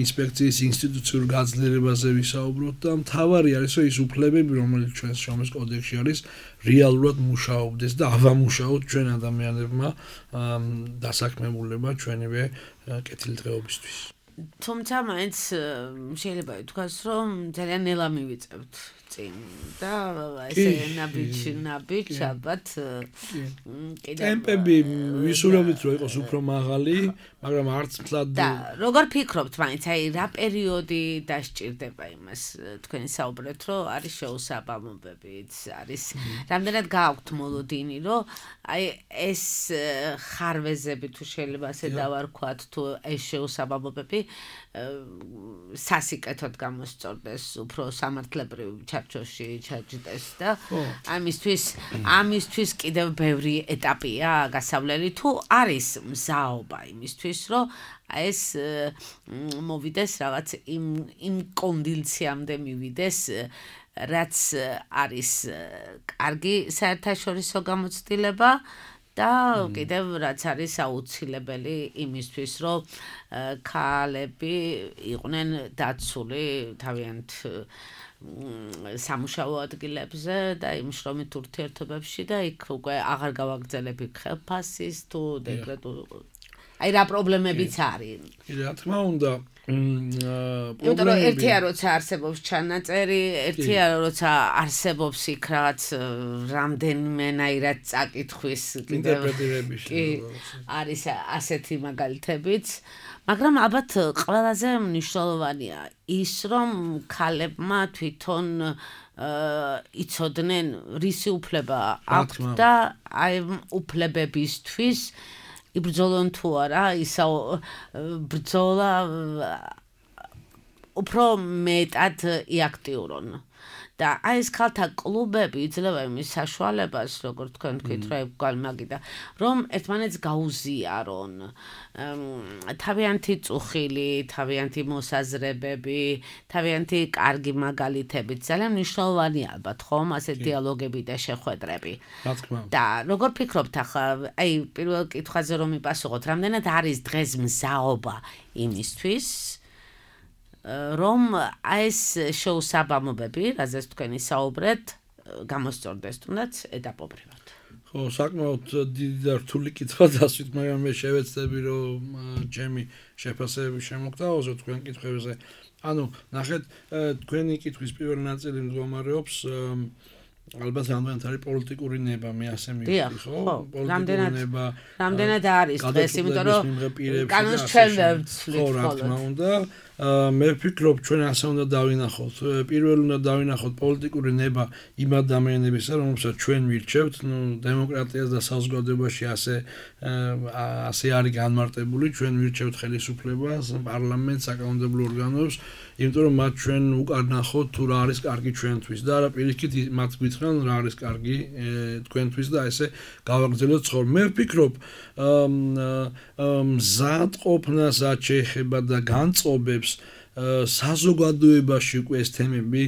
ინსპექციის ინსტიტუციურ გაძლიერებაზე ვისაუბროთ და მთავარი არის რომ ის უფლებები რომელიც ჩვენს შრომის კოდექსში არის რეალურად მუშაობდეს და ავამუშაოთ ჩვენ ადამიანებმა დასაქმებულება ჩვენივე კეთილდღეობისთვის. თუმცა მაინც შეიძლება ითქვას რომ ძალიან ნელა მივიწევთ წინ და ესე ნაბიჯ ნაბიჯ ალბათ კიდევ ტემპები ვისურვებთ რომ იყოს უფრო მაღალი, მაგრამ არც მთლად და როგორ ფიქრობთ მაინც აი რა პერიოდი დასჭირდება იმას თქვენი საუბრეთ რომ არის შეუსაბამობებიც არის რამდენად გააქვთ მოლოდინი რომ აი ეს ხარვეზები თუ შეიძლება ასე დავარქვათ თუ ეს შეუსაბამობები სასიკეთოდ გამოსწორდეს უფრო სამართლებრივ საჩარჩოში ჩაჯდეს და ამისთვის ამისთვის კიდევ ბევრი ეტაპია გასავლელი თუ არის მზაობა იმისთვის რომ ეს მოვიდეს რაღაც იმ იმ კონდიციამდე მივიდეს რაც არის კარგი საერთაშორისო გამოცდილება და კიდევ რაც არის აუცილებელი იმისთვის რომ ქალები იყვნენ დაცული თავიანთ სამუშაო ადგილებზე და იმ შრომით ურთიერთობებში და იქ უკვე აღარ გავაგრძელებ ხელფასის თუ დეკრეტულ აი რა პრობლემებიც არის. რა თქმა უნდა იმიტომ რომ ერთია როცა არსებობს ჩანაწერი, ერთია როცა არსებობს იქ რაღაც რამდენიმენაირად წაკითხვის ინტერპრეტირების არის ასეთი მაგალითებიც, მაგრამ ალბათ ყველაზე მნიშვნელოვანია ის რომ ქალებმა თვითონ იცოდნენ რისი უფლება აქვთ და აი უფლებებისთვის იბრძოლონ თუ არა ისა ბრძოლა უფრო მეტად იაქტიურონ და აი ეს ქალთა კლუბები იძლევა იმის საშუალებას როგორ თქვენ თქვით რა გალმაგიდა რომ ერთმანეთს გაუზიარონ თავიანთი წუხილი თავიანთი მოსაზრებები თავიანთი კარგი მაგალითები ძალიან მნიშვნელოვანია ალბათ ხომ ასე დიალოგები და შეხვედრები რა თქმა უნდა და როგორ ფიქრობთ ახლა აი პირველ კითხვაზე რომ მიპასუხოთ რამდენად არის დღეს მზაობა იმისთვის რომ ეს შეუსაბამობები, რაზეც თქვენ ისაუბრეთ, გამოსწორდეს თუნდაც ეტაპობრივად. ხო, საკმაოდ დიდი და რთული კითხვა დასვით, მაგრამ მე შევეცდები რომ ჩემი შეფასებები შემოგთავაზო თქვენ კითხვებზე. ანუ, ნახეთ, თქვენი კითხვის პირველი ნაწილი მდგომარეობს ალბათ რამდენად არის პოლიტიკური ნება მე ასე მივხვდი ხო პოლიტიკური ნება რამდენად არის დღეს იმიტომ რომ კანონს ჩვენ ვცვლით ხო რა თქმა უნდა მე ვფიქრობ ჩვენ ასე უნდა დავინახოთ პირველ უნდა დავინახოთ პოლიტიკური ნება იმ ადამიანებისა რომელსაც ჩვენ ვირჩევთ ნუ დემოკრატიას და საზოგადოებაში ასე ასე არის განმარტებული ჩვენ ვირჩევთ ხელისუფლებას პარლამენტს საკანონმდებლო ორგანოებს იმიტომ რომ მათ ჩვენ უკარნახოთ თუ რა არის კარგი ჩვენთვის და არა პირიქით მათ გითხრან რა არის კარგი თქვენთვის და ესე გავაგრძელოთ ცხოვრება მე ვფიქრობ მზადყოფნასაც შეეხება და განწყობებს საზოგადოებაში უკვე ეს თემები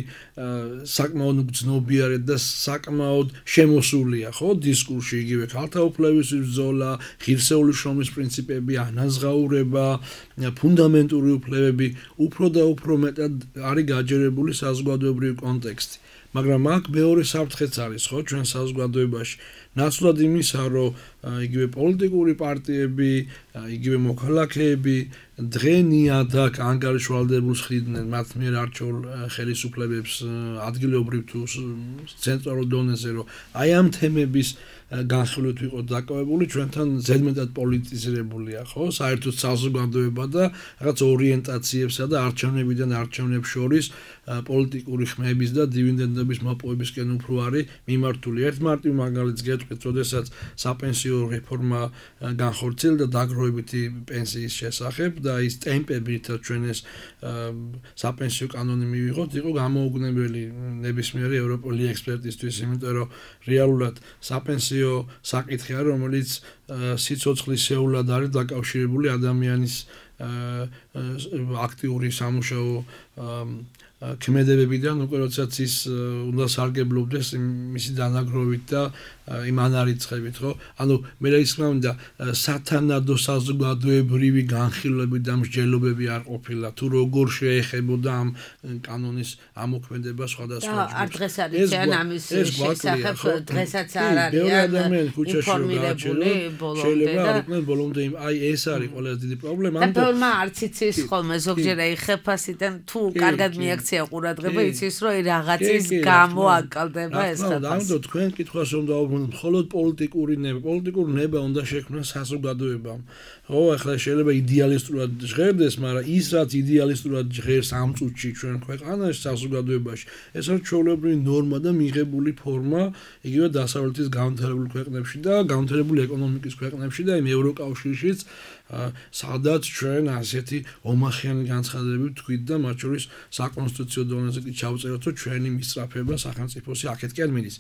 საკმაოდ გრძნობიარეთ და საკმაოდ შემოსულია ხო დისკურსში იგივე ქალთა უფლების ბრძოლა, ღირსეული შრომის პრინციპები, ანაზღაურება, ფუნდამენტური უფლებები უფრო და უფრო მეტად არის გაჯერებული საზოგადოებრივი კონტექსტი. მაგრამ აქ მეორე საფრთხეც არის ხო ჩვენ საზოგადოებაში ნაცვლად იმისა რომ იგივე პოლიტიკური პარტიები, იგივე მოქალაქეები დღენიადაკ ანგარიშვალდებულს ხვდნენ მათ მიერ არჩეულ ხელისუფლებებს ადგილობრივ თუ ცენტრალურ დონეზე რომ აი ამ თემების განხილვით ვიყოთ დაკავებული ჩვენთან ზედმეტად პოლიტიზირებულია ხო საერთოდ საზოგადოება და რაღაც ორიენტაციებსა და არჩევნებიდან არჩევნებს შორის პოლიტიკური ხმების და დივიდენდების მოპოვებისკენ უფრო არის მიმართული ერთ მარტივ მაგალითს გეტყვით როდესაც საპენსიო რეფორმა განხორციელდა დაგროვებითი პენსიის შესახებ და ის ტემპები რითაც ჩვენ ეს საპენსიო კანონი მივიღოთ იყო გამოუგნებელი ნებისმიერი ევროპული ექსპერტისთვის იმიტომ რომ რეალურად საპენსიო საკითხია რომელიც სიცოცხლისეულად არის დაკავშირებული ადამიანის აქტიური სამუშაო ქმედებებიდან უკვე როდესაც ის უნდა სარგებლობდეს მისი დანაგროვით და იმ ანარიცხებით ხო ანუ მე რა ისმა უნდა სათანადო საზოგადოებრივი განხილვები და მსჯელობები არ ყოფილა თუ როგორ შეეხებოდა ამ კანონის ამოქმედება სხვადასხვა ჯგუფს და არ დღეს არის ან ამის შესახებ დღესაც არ არიან ინფორმირებული ბოლომდე და ბოლომდე აი ეს არის ყველაზე დიდი პრობლემა ანუ თორმა არც იცის ხოლმე ზოგჯერ აი ხეფასიდან თუ კარგად მიაქცია ყურადღება იცის რომ რაღაცის გამო აკალდება ეს ხეფასი და თქვენ კითხვას უნდა მხოლოდ პოლიტიკური ნება, პოლიტიკური ნება უნდა შექმნას საზოგადოებამ. ხო, ახლა შეიძლება იდეალისტურად ჟღერდეს, მაგრამ ის რაც იდეალისტურად ჟღერს ამ წუთში ჩვენ ქვეყანაში საზოგადოებაში, ეს არის ჩვეულებრივი ნორმა და მიღებული ფორმა, იგივე დასავლეთის განვითარებულ ქვეყნებში და განვითარებული ეკონომიკის ქვეყნებში და იმ ევროკავშირშიც სადაც ჩვენ ასეთი ომახიანი განცხადებები თქვით და მათ შორის საკონსტიტუციო დონეზე კი ჩავწეროთ, რომ ჩვენი მისწრაფება სახელმწიფოსი აქეთკენ მიდის.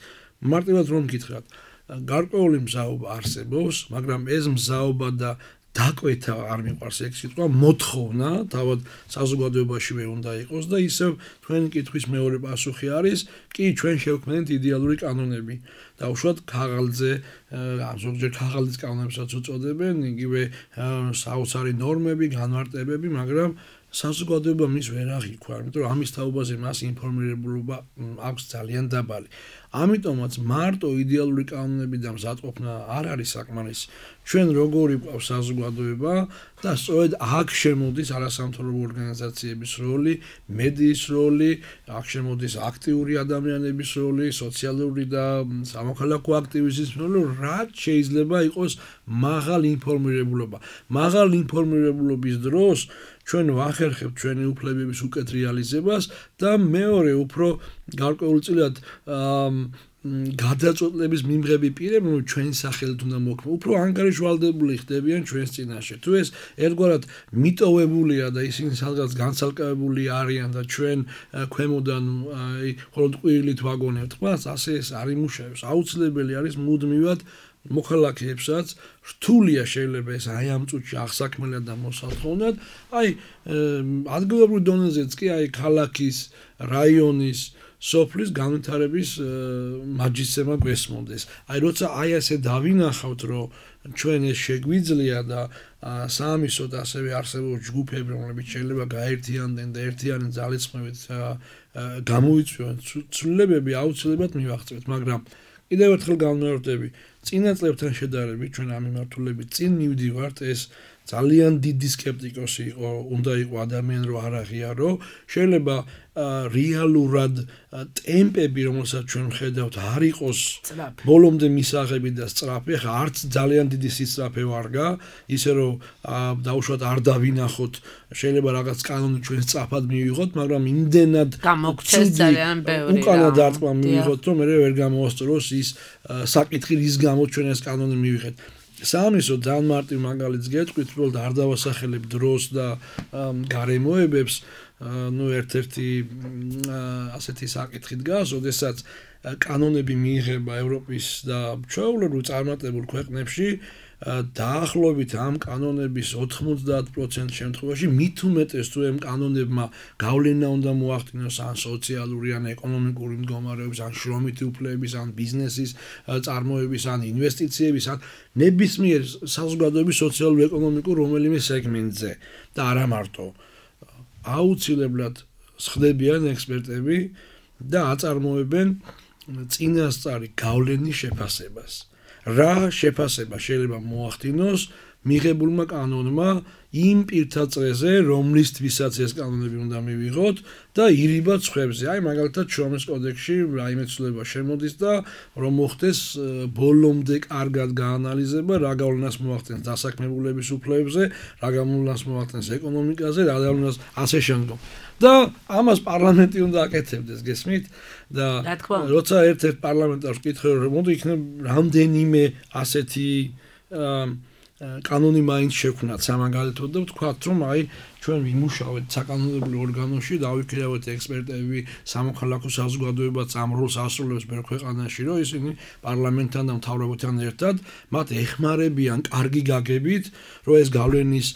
მარტივად რომ გითხრათ, გარკვეული მზაობა არსებობს, მაგრამ ეს მზაობა და დაკვეთა არ მიყვარს ეგ სიტყვა, მოთხოვნა თავად საზოგადოებაშივე უნდა იყოს და ისევ თქვენი კითხვის მეორე პასუხი არის, კი ჩვენ შევქმნით იდეალური კანონები. და უშუალოდ ქაღალდზე, ზოგჯერ ქაღალდის კანონებსაც უწოდებენ, იგივე საოცარი ნორმები, განმარტებები, მაგრამ საზოგადოება მის ვერ აღიქვარ, იმიტომ რომ ამის თაობაზე მას ინფორმირებულობა აქვს ძალიან დაბალი. ამიტომაც მარტო იდეალური კანონები და მზადყოფნა არ არის საკმარისი. ჩვენ როგორი გვყავს საზოგადოება და სწორედ აქ შემოდის არასამთავრობო ორგანიზაციების როლი, მედიის როლი, აქ შემოდის აქტიური ადამიანების როლი, სოციალური და სამოქალაქო აქტივისტების როლი, რაც შეიძლება იყოს მაღალი ინფორმირებულობა. მაღალი ინფორმირებულობის დროს ჩვენ ვახერხებთ ჩვენი უფლებების უკეთ რეალიზებას და მეორე უფრო გარკვეულწილად გადაწყვეტილების მიმღები პირები ჩვენი სახელით უნდა მოქმედონ, უფრო ანგარიშვალდებული ხდებიან ჩვენს წინაშე. თუ ეს ერთგვარად მიტოვებულია და ისინი სადღაც განცალკევებული არიან და ჩვენ ქვემოდან მხოლოდ ყვირილით ვაგონებთ მას, ასე ეს არ იმუშავებს. აუცილებელი არის მუდმივად მოქალაქეებსაც რთულია შეიძლება ეს აი ამ წუთში აღსაქმელად და მოსალთხოვნად, აი ადგილობრივ დონეზეც კი აი ქალაქის, რაიონის, სოფლის განვითარების მაჯისცემა გვესმოდეს. აი როცა აი ასე დავინახავთ, რომ ჩვენ ეს შეგვიძლია და საამისოდ ასევე არსებობს ჯგუფები, რომლებიც შეიძლება გაერთიანდნენ და ერთიანი ძალისხმევით გამოიწვიონ ცვლილებები, აუცილებლად მივაღწევთ, მაგრამ კიდევ ერთხელ განმეორდები, წინა წლებთან შედარებით ჩვენ ამ მიმართულებით წინ მივდივართ, ეს ძალიან დიდი სკეპტიკოსი იყო, უნდა იყო ადამიანი რომ არ აღიარო, შეიძლება რეალურად ტემპები, რომელსაც ჩვენ ვხედავთ, არ იყოს ბოლომდე მისაღები და სწრაფი, ხა არც ძალიან დიდი სისწრაფე ვარგა, ისე რომ დაუშვათ არ დავინახოთ, შეიძლება რაღაც კანონი ჩვენ სწრაფად მივიღოთ, მაგრამ იმდენად გამოგცეს ძალიან ბევრი უკანა დარტყმა მივიღოთ, რომ მე ვერ გამოვასწოროს ის საკითხი, რის გამოც ჩვენ ეს კანონი მივიღეთ. საამისოდ ძალიან მარტივ მაგალითს გეტყვით, უბრალოდ არ დავასახელებ დროს და გარემოებებს, ну ერთ-ერთი ასეთი საკითხი დგას, ოდესაც კანონები მიიღება ევროპის და ჩვეულებრივ წარმატებულ ქვეყნებში დაახლოებით ამ კანონების ოთხმოცდაათ პროცენტ შემთხვევაში მით უმეტეს თუ ამ კანონებმა გავლენა უნდა მოახდინოს ან სოციალური ან ეკონომიკური მდგომარეობის ან შრომითი უფლებების ან ბიზნესის წარმოების ან ინვესტიციების ან ნებისმიერ საზოგადოების სოციალურ-ეკონომიკურ რომელიმე სეგმენტზე და არა მარტო აუცილებლად ხდებიან ექსპერტები და აწარმოებენ წინასწარი გავლენის შეფასებას. რა შეფასება შეიძლება მოახდინოს მიღებულმა კანონმა იმ პირთა წრეზე, რომლისთვისაც ეს კანონები უნდა მივიღოთ და ირიბად სხვებზე. აი მაგალითად შრომის კოდექსში რაიმე ცვლილება შემოდის და რომ მოხდეს ბოლომდე კარგად გაანალიზება, რა გავლენას მოახდენს დასაქმებულების უფლებებზე, რა გავლენას მოახდენს ეკონომიკაზე, რა გავლენას ასე შემდგომ. და ამას პარლამენტი უნდა აკეთებდეს, გესმით? და როცა ერთ-ერთ პარლამენტარს ვკითხე, რომ მოდი იქნებ რამდენიმე ასეთი კანონი მაინც შექმნათ სამაგალითოდ და ვთქვათ, რომ აი ჩვენ ვიმუშავეთ საკანონმდებლო ორგანოში, დავიქირავეთ ექსპერტები, სამოქალაქო საზოგადოებაც ამ როლს ასრულებს ბევრ ქვეყანაში, რომ ისინი პარლამენტთან და მთავრობასთან ერთად მათ ეხმარებიან კარგი გაგებით, რომ ეს გავლენის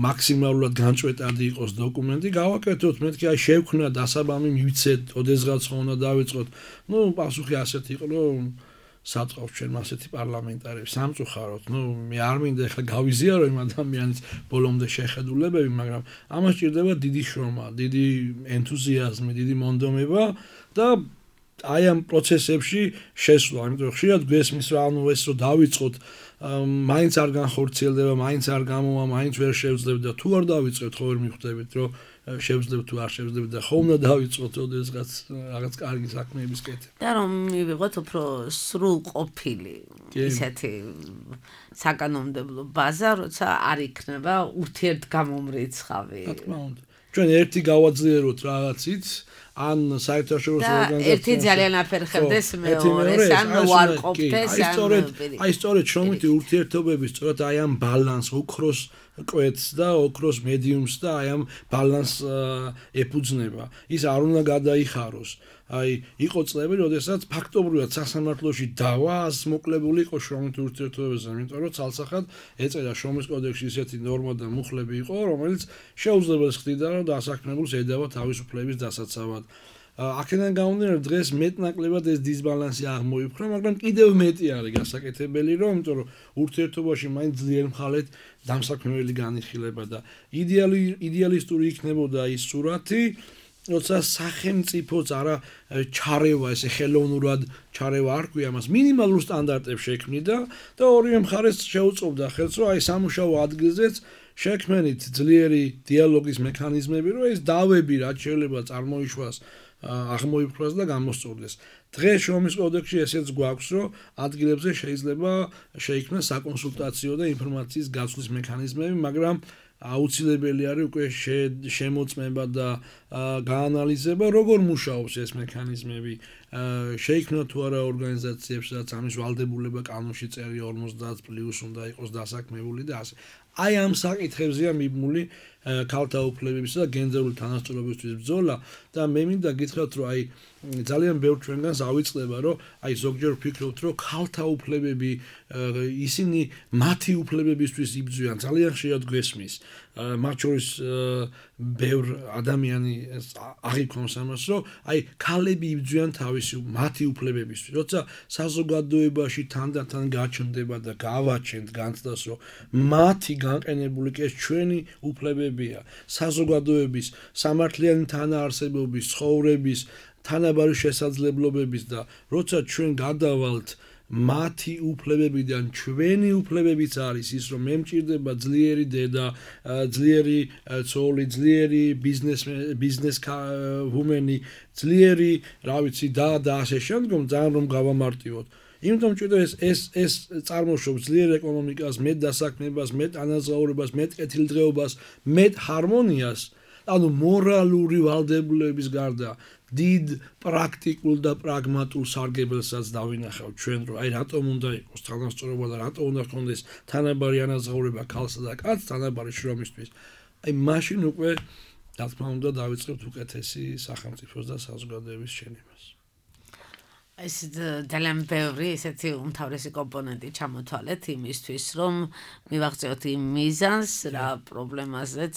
მაქსიმალურად განწყვეტადი იყოს დოკუმენტი, გავაკეთოთ, მეთქი აი შევქმნა დასაბამი მივიცეთ, ოდესღაც ხო უნდა დავიწყოთ. ნუ პასუხი ასეთი იყო, რომ საწყობს ჩვენ ასეთი პარლამენტარები სამწუხაროდ, ნუ მე არ მინდა ახლა გავიზიარო იმ ადამიანის ბოლომდე შეხედულებები, მაგრამ ამას ჭირდება დიდი შრომა, დიდი ენთუზიაზმი, დიდი მონდომება და აი ამ პროცესებში შესვლა, იმიტომ რომ ხშირად გვესმის რა, ანუ ეს რო დავიწყოთ, მაინც არ განხორციელდება, მაინც არ გამოვა, მაინც ვერ შევძლებთ და თუ არ დავიწყებთ, ხო ვერ მიხვდებით, რომ შევძლებთ თუ არ შევძლებთ და ხომ უნდა დავიწყოთ ოდესღაც რაღაც კარგი საქმეების კეთება. და რომ მივიღოთ უფრო სრულყოფილი ისეთი საკანონმდებლო ბაზა, როცა არ იქნება ურთიერთგამომრიცხავი. რა თქმა უნდა. ჩვენ ერთი გავაძლიეროთ რაღაცით, ან საერთაშორისო ორგანიზაციაში ერთი ძალიან აფერხებდეს მეორეს ან უარყოფდეს ან სწორედ აი სწორედ შრომითი ურთიერთობები სწორედ აი ამ ბალანს ოქროს კვეთს და ოქროს მედიუმს და აი ამ ბალანს ეფუძნება ის არ უნდა გადაიხაროს აი იყო წლები როდესაც ფაქტობრივად სასამართლოში დავა მოკლებული იყო შრომითი ურთიერთობებზე იმიტომ რომ ცალსახად ეწერა შრომის კოდექსში ისეთი ნორმა და მუხლები იყო რომელიც შეუძლებელს ხდიდა რომ დასაქმებულს ედავა თავისუფლების დასაცავად აქედან გამომდინარე დღეს მეტნაკლებად ეს დისბალანსი აღმოიფხვრა მაგრამ კიდევ მეტი არის გასაკეთებელი რომ იმიტომ რომ ურთიერთობაში მაინც ძლიერ მხალედ დამსაქმებელი განიხილება და იდეალი იდეალისტური იქნებოდა ის სურათი როცა სახელმწიფოც არა ჩარევა ესე ხელოვნურად ჩარევა არ ქვია მას მინიმალურ სტანდარტებს შექმნიდა და ორივე მხარეს შეუწყობდა ხელს რომ აი სამუშაო ადგილზეც შექმნით ძლიერი დიალოგის მექანიზმები რომ ეს დავები რაც შეიძლება წარმოიშვას აღმოიფხვრას და გამოსწორდეს დღეს შრომის კოდექსში ესეც გვაქვს რომ ადგილებზე შეიძლება შეიქმნას საკონსულტაციო და ინფორმაციის გაცვლის მექანიზმები მაგრამ აუცილებელი არის უკვე შემოწმება და გაანალიზება როგორ მუშაობს ეს მექანიზმები შეიქმნა თუ არა ორგანიზაციებს რაც ამის ვალდებულება კანონში წერია ორმოცდაათ პლუს უნდა იყოს დასაქმებული და ასე აი ამ საკითხებზეა მიბმული ქალთა უფლებებისა და გენდერული თანასწორობისთვის ბრძოლა და მე მინდა გითხრათ რომ აი ძალიან ბევრ ჩვენგანს ავიწყდება რომ აი ზოგჯერ ვფიქრობთ რომ ქალთა უფლებები ისინი მათი უფლებებისთვის იბრძვიან ძალიან ხშირად გვესმის მათ შორის ბევრ ადამიანი აღიქვამს ამას რომ აი ქალები იბრძვიან თავისი მათი უფლებებისთვის როცა საზოგადოებაში თანდათან გაჩნდება და გავაჩენთ განცდას რომ მათი განყენებული კი ეს ჩვენი უფლებებია საზოგადოების სამართლიანი თანაარსებობის ცხოვრების თანაბარი შესაძლებლობების და როცა ჩვენ გადავალთ მათი უფლებებიდან ჩვენი უფლებებიც არის ის რომ მე მჭირდება ძლიერი დედა ძლიერი ცოლი ძლიერი ბიზნეს ბიზნეს ვუმენი ძლიერი რა ვიცი და და ასე შემდგომ ძალიან რომ გავამარტივოთ იმიტომ რომ ეს ეს ეს წარმოშობს ძლიერ ეკონომიკას მეტ დასაქმებას მეტ ანაზღაურებას მეტ კეთილდღეობას მეტ ჰარმონიას ანუ მორალური ვალდებულების გარდა დიდ პრაქტიკულ და პრაგმატულ სარგებელსაც დავინახავთ ჩვენ რომ აი რატომ უნდა იყოს თანასწორობა და რატომ უნდა ჰქონდეს თანაბარი ანაზღაურება ქალსა და კაცს თანაბარი შრომისთვის აი მაშინ უკვე რა თქმა უნდა დავიწყებთ უკეთესი სახელმწიფოს და საზოგადოების შექმნას ეს ძალიან ბევრი ესეთი უმთავრესი კომპონენტი ჩამოთვალეთ იმისთვის რომ მივაღწიოთ იმ მიზანს რა პრობლემაზეც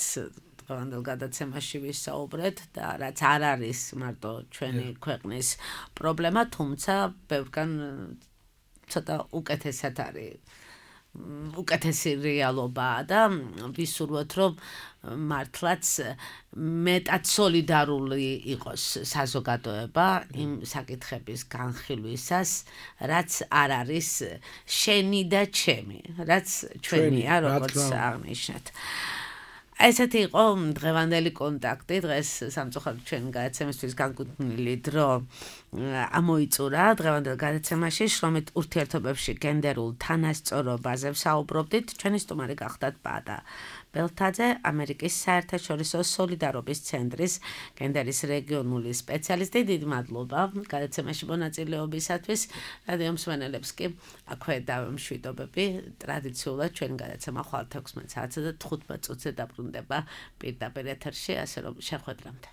დღევანდელ გადაცემაში ვისაუბრეთ და რაც არ არის მარტო ჩვენი ქვეყნის პრობლემა, თუმცა ბევრგან ცოტა უკეთესად არის უკეთესი რეალობაა და ვისურვოთ რომ მართლაც მეტად სოლიდარული იყოს საზოგადოება იმ საკითხების განხილვისას, რაც არ არის შენი და ჩემი, რაც ჩვენია, როგორც აღნიშნეთ. ესეთი იყო დღევანდელი კონტაქტი, დღეს სამწუხაროდ ჩვენი გადაცემისთვის განკუთვნილი დრო ამოიწურა. დღევანდელ გადაცემაში შრომით ურთიერთობებში გენდერულ თანასწორობაზე ვსაუბრობდით. ჩვენი სტუმარი გახდათ ბადა ბელთაძე, ამერიკის საერთაშორისო სოლიდარობის ცენტრის გენდერის რეგიონული სპეციალისტი. დიდი მადლობა გადაცემაში მონაწილეობისათვის. რადიო მსმენელებს კი აქვე დავემშვიდობები. ტრადიციულად ჩვენი გადაცემა ხვალ თექვსმეტ საათსა და თხუთმეტ წუთზე დაბრუნდება პირდაპირ ეთერში, ასე რომ შეხვედრამდე.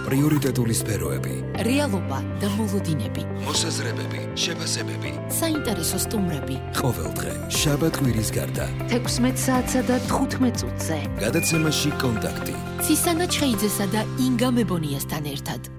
პრიორიტეტული სფეროები, რეალობა და მოლოდინები, მოსაზრებები, შეფასებები, საინტერესო სტუმრები. ყოველდღე შაბათ-კვირის გარდა თექვსმეტ საათსა და თხუთმეტ წუთზე გადაცემაში კონტაქტი. ცისანა ჩხეიძესა და ინგა მებონიასთან ერთად.